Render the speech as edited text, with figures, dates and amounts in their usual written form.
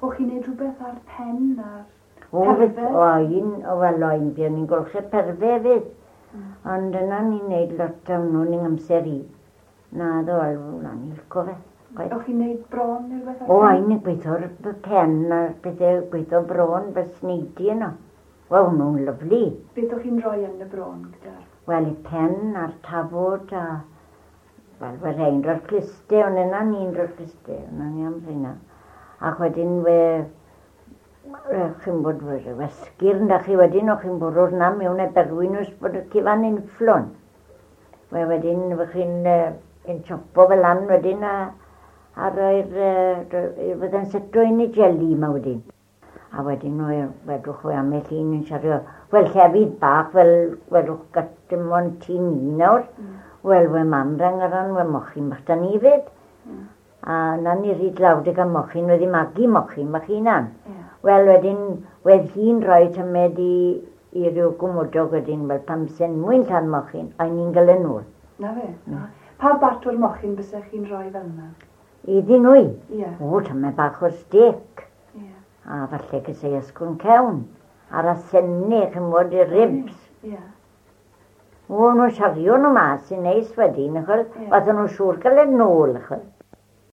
O'ch chi'n neud rhywbeth ar pen a'r O, perfedd? o, un, o, wel, o, un, buon ni'n golchi perfedd hefyd. Ond yna ni'n neud lot o nhw'n yng amser i. Na, ddo, wel, na, ni'n lico fe. Chwaith. O'ch chi'n neud bron neu rhywbeth ar O, pen? ein yn gweithio'r pen a'r pethau gweithio bron fel sneidi yno. Wel, nhw'n lyfli. Beth o'ch chi'n rhoi yn y bron gyda'r... Wel, y pen a'r tafod a... Wel, we rhain roi'r cluste, ond yna ni'n roi'r cluste, yna ni am rheina. Ac wedyn we... Chi'n bod wesgyr na chi wedyn, o'ch chi'n bwrw'r na mewn e berwyn os bod y cyfan yn fflon. We wedyn, we chi'n yn chopo fel lan wedyn a, a roi'r... Fydde'n seto yn y jelly yma wedyn. A wedyn we, wedwch we am eich hun yn siarad, wel llefydd bach fel wedwch gatym o'n tŷ ni nawr. Wel, we mam rang ar ran, we mochyn bach da ni fyd. A na ni rhy dlawd ag am mochyn, wedi magu mochyn bach hunan. Ie. Wel, wedyn, wedd hi'n rhoi tymed i, i ryw gwmwdog wedyn, wel, pam sy'n mwyn llan mochyn, a ni'n gael yn ôl. Na fe? Na. Pa bart o'r mochyn bysech chi'n rhoi fel yna? Iddyn nhw. Ie. O, tymed bach o stec. Ie. A falle gysau ysgwn cewn. A'r asennau, chymod, y ribs. Ie. O, nhw'n siario nhw mas yn neis wedyn, achos Ie. yeah. Oedden nhw'n siŵr gael yn ôl, achos.